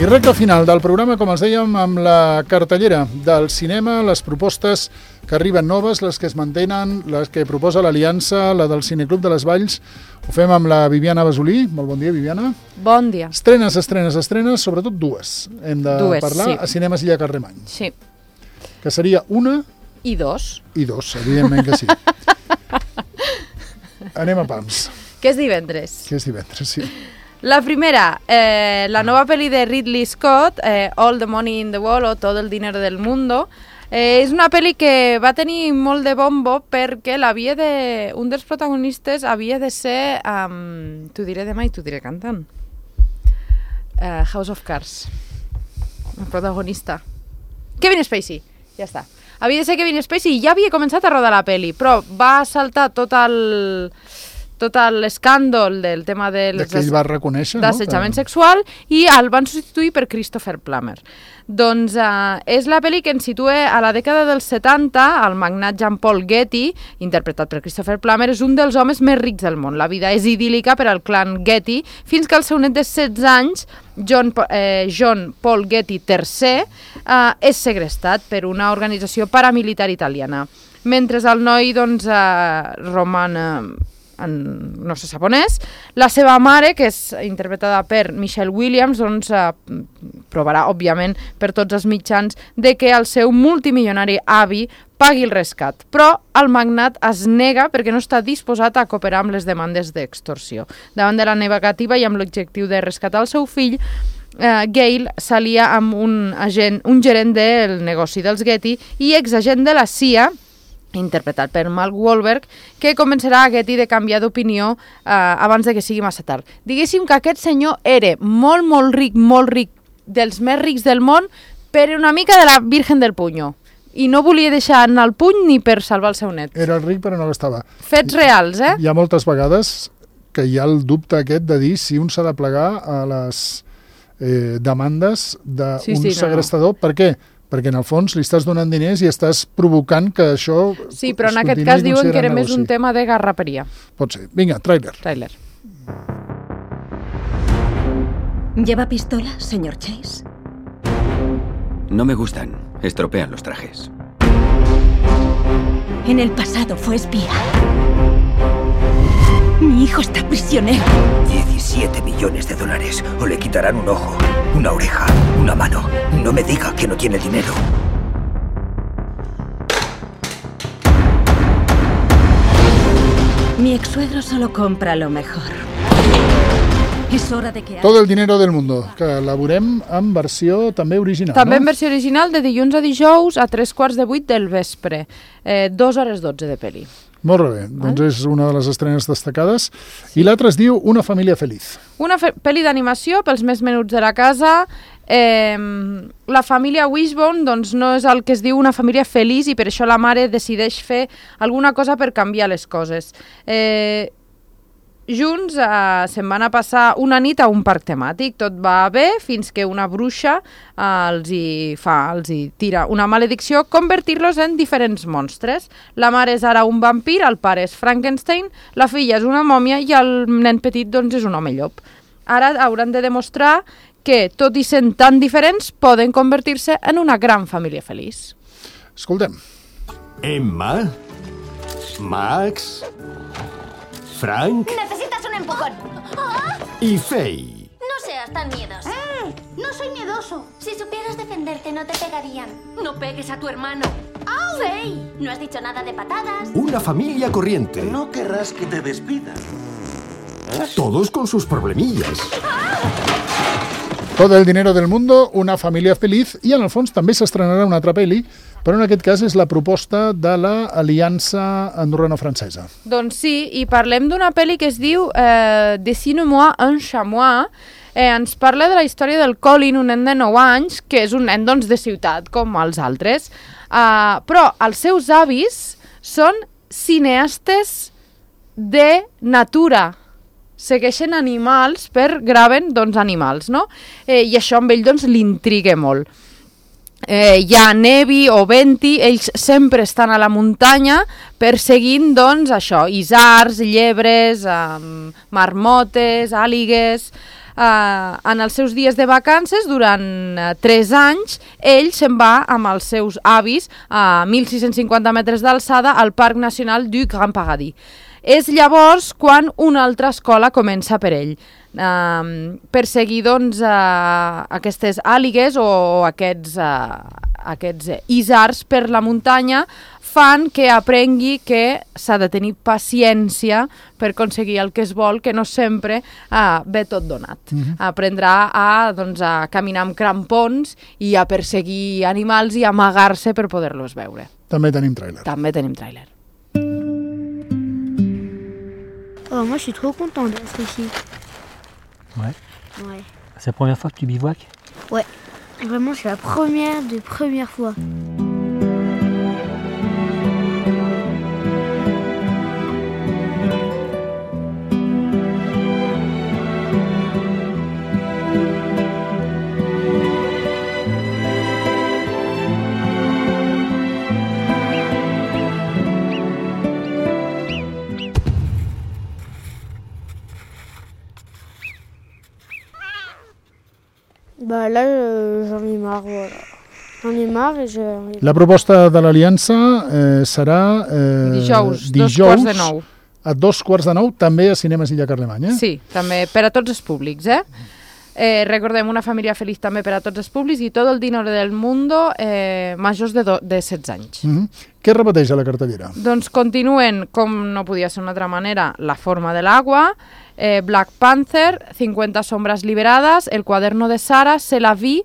I recta final del programa, com els dèiem, amb la cartellera del cinema, les propostes que arriben noves, les que es mantenen, les que proposa l'Aliança, la del Cineclub de les Valls. Ho fem amb la Viviana Basolí. Molt bon dia, Viviana. Bon dia. Estrenes, sobretot dues. Hem de parlar sí. A Cinemes Illa Carremany. Sí. Que seria una... I dos. I dos, evidentment que sí. Anem a pams. Que és divendres. Que és divendres, sí. La primera, la nova pel·li de Ridley Scott, All the Money in the World o Todo el dinero del mundo, és una pel·li que va tenir molt de bombo perquè un dels protagonistes havia de ser, t'ho diré demà i t'ho diré cantant, House of Cards, el protagonista. Kevin Spacey, ja està. Havia de ser Kevin Spacey i ja havia començat a rodar la pel·li, però va saltar tot l'escàndol del tema de que ell va reconèixer, d'assetjament sexual i el van substituir per Christopher Plummer. Doncs és la pel·li que ens situa a la dècada dels 70. El magnat Jean-Paul Getty, interpretat per Christopher Plummer, és un dels homes més rics del món. La vida és idíl·lica per al clan Getty fins que el seu net de 16 anys, John Paul Getty III, és segrestat per una organització paramilitar italiana. Mentre el noi roman... no se sap on és, la seva mare, que és interpretada per Michelle Williams, provarà, òbviament, per tots els mitjans, de que el seu multimilionari avi pagui el rescat. Però el magnat es nega perquè no està disposat a cooperar amb les demandes d'extorsió. Davant de la negativa i amb l'objectiu de rescatar el seu fill, Gale s'alia amb un gerent del negoci dels Getty i exagent de la CIA, interpretat per Mark Wahlberg, que convencerà a Getty de canviar d'opinió abans de que sigui massa tard. Diguéssim que aquest senyor era molt ric, dels més rics del món, però una mica de la Virgen del Puño. I no volia deixar anar el puny ni per salvar el seu net. Era ric però no l'estava. Fets reals, Hi ha moltes vegades que hi ha el dubte aquest de dir si un s'ha de plegar a les demandes d'un segrestador. Per què? Perquè en el fons li estàs donant diners i estàs provocant que això... Sí, però en aquest cas diuen que era més un tema de garraperia. Pot ser. Vinga, tràiler. ¿Lleva pistola, señor Chase? No me gustan. Estropean los trajes. En el pasado fue espía. Mi hijo está prisionero. 17 millones de dólares. O le quitarán un ojo, una oreja, una mano. No me diga que no tiene dinero. Mi ex-suegro solo compra lo mejor. És hora de que... Todo el dinero del mundo, que la veurem en versió també original, també en versió original, de dilluns a dijous a 7:45 del vespre. 2:12 de pel·li. Molt bé, doncs és una de les estrenes destacades. Sí. I l'altra es diu Una família feliç. Una pel·li d'animació pels més menuts de la casa. La família Wishbone doncs, no és el que es diu una família feliç i per això la mare decideix fer alguna cosa per canviar les coses. Junts se'n van a passar una nit a un parc temàtic. Tot va bé fins que una bruixa els hi tira una maledicció, convertir-los en diferents monstres. La mare és ara un vampir, el pare és Frankenstein, la filla és una mòmia i el nen petit doncs, és un home llop. Ara hauran de demostrar que, tot i sent tan diferents, poden convertir-se en una gran família feliç. Escoltem. Emma, Max, Frank... Necesitas un empujón. Y Faye. No seas tan miedoso. No soy miedoso. Si supieras defenderte, no te pegarían. No pegues a tu hermano. ¡Au! Faye, no has dicho nada de patadas. Una familia corriente. No querrás que te despidan. Todos con sus problemillas. Todo el dinero del mundo, una família feliç, i en el fons també s'estrenarà una altra pel·li, però en aquest cas és la proposta de l'Aliança Andorrano-Francesa. Doncs sí, i parlem d'una pel·li que es diu Dessine-moi un chamois. Ens parla de la història del Colin, un nen de 9 anys, que és un nen doncs, de ciutat, com els altres, però els seus avis són cineastes de natura. Segueixen animals graven doncs, animals, no? I això amb ell doncs, l'intriga molt. Hi ha nevi o venti, ells sempre estan a la muntanya perseguint doncs, això, isards, llebres, marmotes, àligues... en els seus dies de vacances, durant 3 anys, ell se'n va amb els seus avis a 1.650 metres d'alçada al Parc Nacional du Grand Paradis. És llavors quan una altra escola comença per ell. Perseguir doncs, aquestes àligues o aquests isards per la muntanya fan que aprengui que s'ha de tenir paciència per aconseguir el que es vol, que no sempre ve tot donat. Aprendrà a caminar amb crampons i a perseguir animals i amagar-se per poder-los veure. També tenim tràiler. També tenim tràiler. Oh, moi, je suis trop content d'être ici. Ouais. Ouais. C'est la première fois que tu bivouaques? Ouais. Vraiment, c'est la première fois. Bah là, j'en ai marre, voilà. J'en ai marre et La proposta de l'Aliança serà dijous, dijous 8:45. A 8:45, també a Cinemes Illa Carlemany, eh? Sí, també per a tots els públics, recordem, una família feliç també per a tots els públics i tot el dinero del mundo majors de 16 anys. Què repeteix a la cartellera? Doncs continuen, com no podia ser d'una altra manera, La forma de l'agua, Black Panther, 50 sombras liberadas, El cuaderno de Sara, C'est la vie,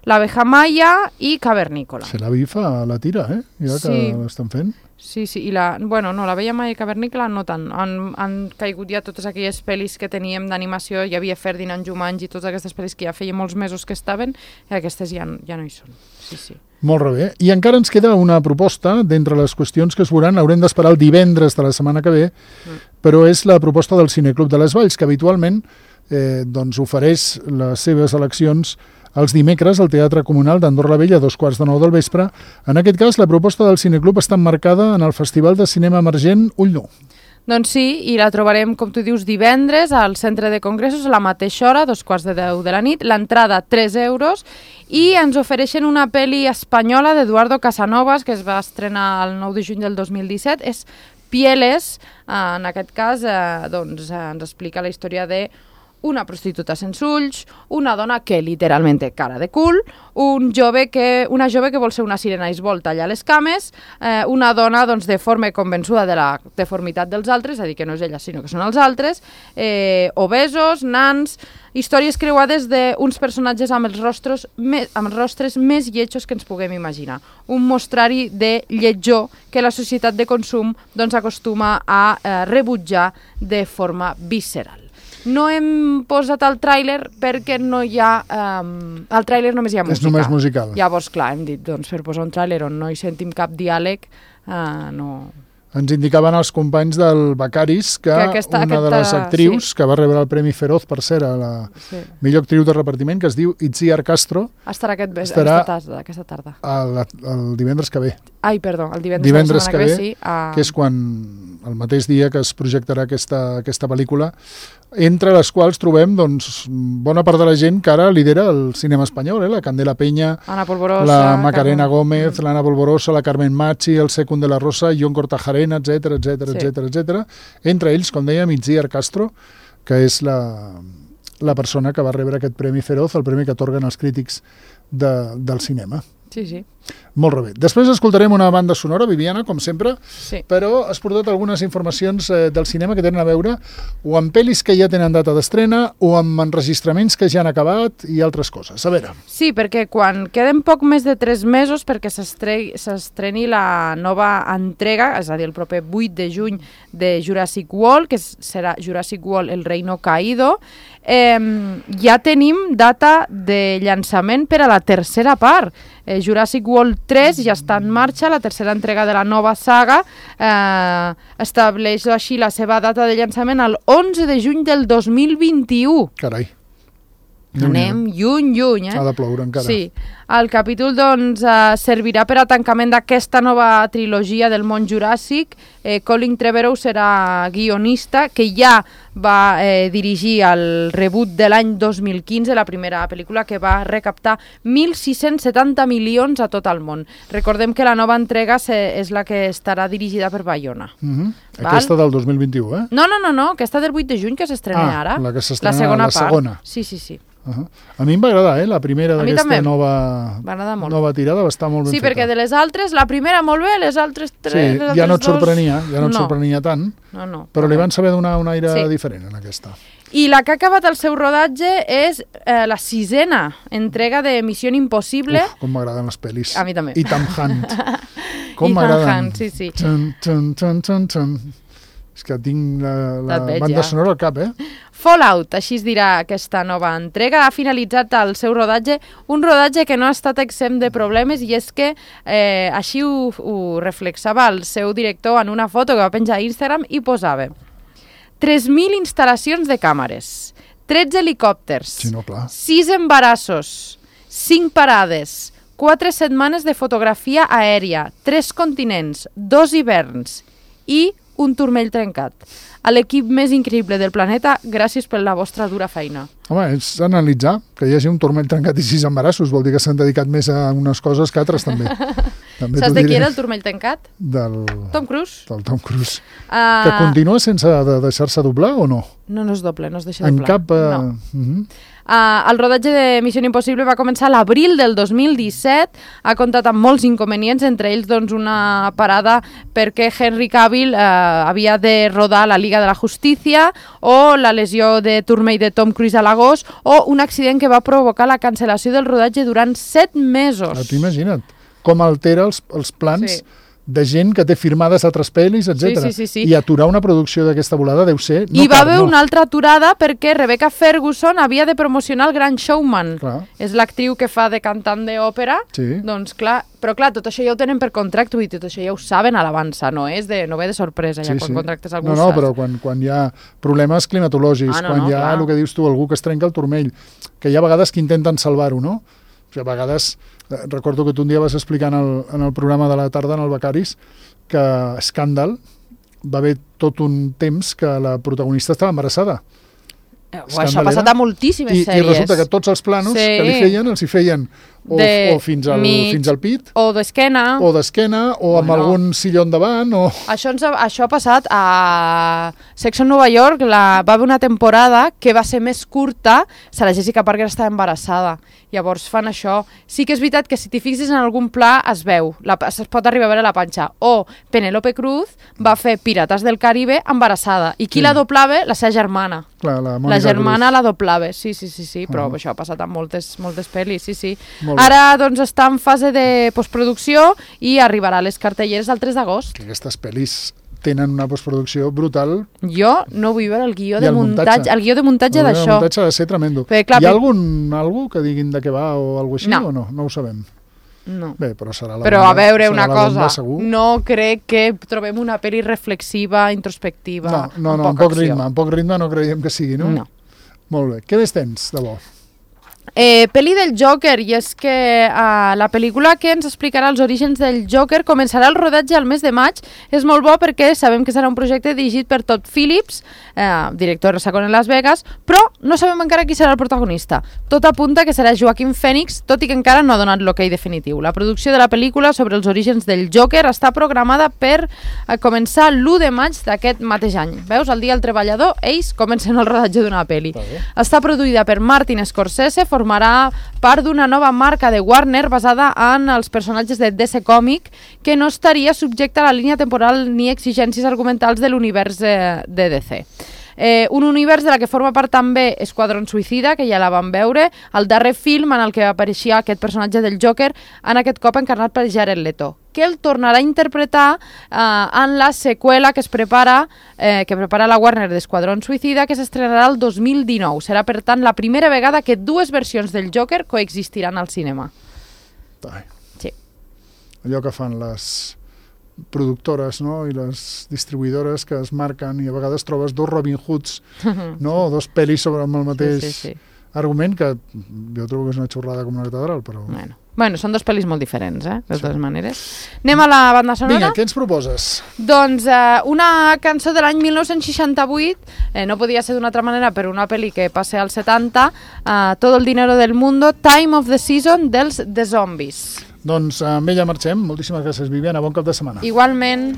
L'abeja Maya i Cavernícola. Se la vi fa la tira, ja que l'estan fent. Sí, i l'Abeja Maya i Cavernícola no tant. Han caigut ja totes aquelles pel·lis que teníem d'animació, hi havia Ferdinand Jumanji i totes aquestes pel·lis que ja feia molts mesos que estaven, i aquestes ja no hi són. Sí. Molt bé. I encara ens queda una proposta d'entre les qüestions que es veuran, haurem d'esperar el divendres de la setmana que ve, però és la proposta del Cineclub de les Valls, que habitualment ofereix les seves eleccions els dimecres al Teatre Comunal d'Andorra la Vella a 8:45 del vespre. En aquest cas, la proposta del Cineclub està emmarcada en el Festival de Cinema Emergent Ull Nu. Doncs sí, i la trobarem, com tu dius, divendres al Centre de Congressos a la mateixa hora, 9:45 de la nit, l'entrada 3 euros, i ens ofereixen una pel·li espanyola d'Eduardo Casanovas, que es va estrenar el 9 de juny del 2017, és Pieles. En aquest cas ens explica la història de una prostituta sense ulls, una dona que literalment té cara de cul, una jove que vol ser una sirena i es vol tallar les cames, una dona deforme convençuda de la deformitat dels altres, és a dir, que no és ella sinó que són els altres, obesos, nans, històries creuades d'uns personatges amb els rostres més lletjos que ens puguem imaginar. Un mostrari de lletjor que la societat de consum acostuma a rebutjar de forma visceral. No hem posat el tràiler perquè no hi ha... el tràiler només hi ha música. És només musical. Llavors, clar, hem dit, per posar un tràiler on no hi sentim cap diàleg, no... Ens indicaven els companys del Becaris que una de les actrius que va rebre el Premi Feroz, per cert, a la millor actriu de repartiment, que es diu Itziar Castro, estarà aquesta tarda. El divendres que ve. Ai, perdó, el divendres que ve, sí. Que és quan, el mateix dia que es projectarà aquesta pel·lícula, entre les quals trobem bona part de la gent que ara lidera el cinema espanyol, la Candela Peña, la Macarena Gómez, l'Anna Polvorosa, la Carmen Machi, el Secund de la Rosa, Jon Cortajarena, etc. Entre ells, com dèiem, Itziar Castro, que és la persona que va rebre aquest Premi Feroz, el premi que atorguen els crítics del cinema. Sí. Molt bé. Després escoltarem una banda sonora, Viviana, com sempre, però has portat algunes informacions del cinema que tenen a veure o amb pel·lis que ja tenen data d'estrena o amb enregistraments que ja han acabat i altres coses. A veure. Sí, perquè quan queden poc més de 3 mesos perquè s'estreni la nova entrega, és a dir, el proper 8 de juny de Jurassic World, que serà Jurassic World El Reino Caído, ja tenim data de llançament per a la tercera part. Jurassic World 3 ja està en marxa, la tercera entrega de la nova saga, estableix així la seva data de llançament el 11 de juny del 2021. Carai. Anem lluny, Ha de ploure encara. Sí. El capítol, servirà per a tancament d'aquesta nova trilogia del món juràssic. Colin Trevorrow serà guionista, que ja va dirigir el reboot de l'any 2015, la primera pel·lícula que va recaptar 1.670 milions a tot el món. Recordem que la nova entrega és la que estarà dirigida per Bayona. Aquesta del 2021, eh? No, aquesta del 8 de juny que s'estrena ara. La que s'estrena, la segona. Sí. A mi em va agradar, la primera d'aquesta nova tirada va estar molt ben feta. Sí, perquè de les altres, la primera molt bé, les altres tres... Sí, ja no et sorprenia tant, però li van saber donar un aire diferent en aquesta. I la que ha acabat el seu rodatge és la 6ª entrega de Missió Impossible. Uf, com m'agraden les pel·lis. A mi també. I Tom Hunt. Com m'agraden. Sí. És que tinc la banda sonora al cap, Fallout, així es dirà aquesta nova entrega, ha finalitzat el seu rodatge, un rodatge que no ha estat exempt de problemes, i és que així ho reflexava el seu director en una foto que va penjar a Instagram i posava 3.000 instal·lacions de càmeres, 13 helicòpters, 6 embarassos, 5 parades, 4 setmanes de fotografia aèria, 3 continents, 2 hiverns i un turmell trencat. A l'equip més increïble del planeta, gràcies per la vostra dura feina. Home, és analitzar que hi hagi un turmell trencat i 6 embarassos. Vol dir que s'han dedicat més a unes coses que altres, també. Saps de qui era el turmell trencat? Del Tom Cruise. Del Tom Cruise. Que continua sense deixar-se doblar o no? No es dobla, no es deixa doblar. En cap... No. El rodatge de Missió Impossible va començar a l'abril del 2017, ha comptat amb molts inconvenients, entre ells una parada perquè Henry Cavill havia de rodar la Liga de la Justícia, o la lesió de turmell de Tom Cruise a l'agost, o un accident que va provocar la cancel·lació del rodatge durant 7 mesos. Imagina't com altera els plans de gent que té firmades altres pel·lis, etc. Sí. I aturar una producció d'aquesta volada deu ser... I va haver una altra aturada perquè Rebecca Ferguson havia de promocionar El Gran Showman. És l'actriu que fa de cantant d'òpera. Doncs clar, però clar, tot això ja ho tenen per contracte, i tot això ja ho saben a l'avança, no ve de sorpresa ja quan contractes algú. No, però quan hi ha problemes climatològics, quan hi ha el que dius tu, algú que es trenca el turmell, que hi ha vegades que intenten salvar-ho, no? O sigui, a vegades... Recordo que tu un dia vas explicar en el programa de la tarda, en el Becaris, que Scandal va haver tot un temps que la protagonista estava embarassada. Això ha passat a moltíssimes sèries. I resulta que tots els planos que li feien, els hi feien o fins al pit, o d'esquena, o amb algun silló davant. Això ha passat a Sex and Nova York, va haver una temporada que va ser més curta, Sarah Jessica Parker estava embarassada, llavors fan això. Sí que és veritat que si t'hi fixes en algun pla es veu, es pot arribar a veure la panxa. O Penélope Cruz va fer Pirates del Caribe embarassada, i qui la doblava? La seva germana. La germana la doblava, sí, però això ha passat en moltes pel·lis, sí. Ara doncs està en fase de postproducció i arribarà a les cartelleres el 3 d'agost. Aquestes pel·lis tenen una postproducció brutal. Jo no vull veure el guió de muntatge d'això. El muntatge ha de ser tremendo. Hi ha algú que diguin de què va o alguna cosa així o no? No ho sabem. No. Bé, però serà la Però a veure una cosa, no crec que trobem una pel·li reflexiva, introspectiva. No, amb poc ritme no creiem que sigui, no? No. Molt bé. Què més tens, de bo? Pel·li del Joker, i és que la pel·lícula que ens explicarà els orígens del Joker començarà el rodatge al mes de maig. És molt bo perquè sabem que serà un projecte dirigit per Todd Phillips, director de Second en Las Vegas, però no sabem encara qui serà el protagonista. Tot apunta que serà Joaquin Phoenix, tot i que encara no ha donat l'ok definitiu. La producció de la pel·lícula sobre els orígens del Joker està programada per començar l'1 de maig d'aquest mateix any. Veus, el dia del treballador, ells comencen el rodatge d'una pel·li. Està produïda per Martin Scorsese, formarà part d'una nova marca de Warner basada en els personatges de DC Comic, que no estaria subjecta a la línia temporal ni exigències argumentals de l'univers de DC. Un univers de la que forma part també Esquadron Suïcida, que ja la vam veure, el darrer film en el que apareixia aquest personatge del Joker, en aquest cop encarnat per Jared Leto, que el tornarà a interpretar en la seqüela que prepara la Warner d'Esquadron Suïcida, que s'estrenarà el 2019. Serà, per tant, la primera vegada que dues versions del Joker coexistiran al cinema. Sí. Allò que fan les productores, no? I les distribuïdores que es marquen, i a vegades trobes dos Robin Hoods, no? O dos pel·lis sobre el mateix argument, que jo trobo que és una xorrada com una catedral, però Bueno, són dos pel·lis molt diferents, de totes maneres. Anem a la banda sonora? Vinga, què ens proposes? Doncs una cançó de l'any 1968, no podia ser d'una altra manera, per una pel·li que passa als 70, Todo el dinero del mundo, Time of the Season dels The Zombies. Doncs amb ella marxem. Moltíssimes gràcies, Viviana. Bon cap de setmana. Igualment.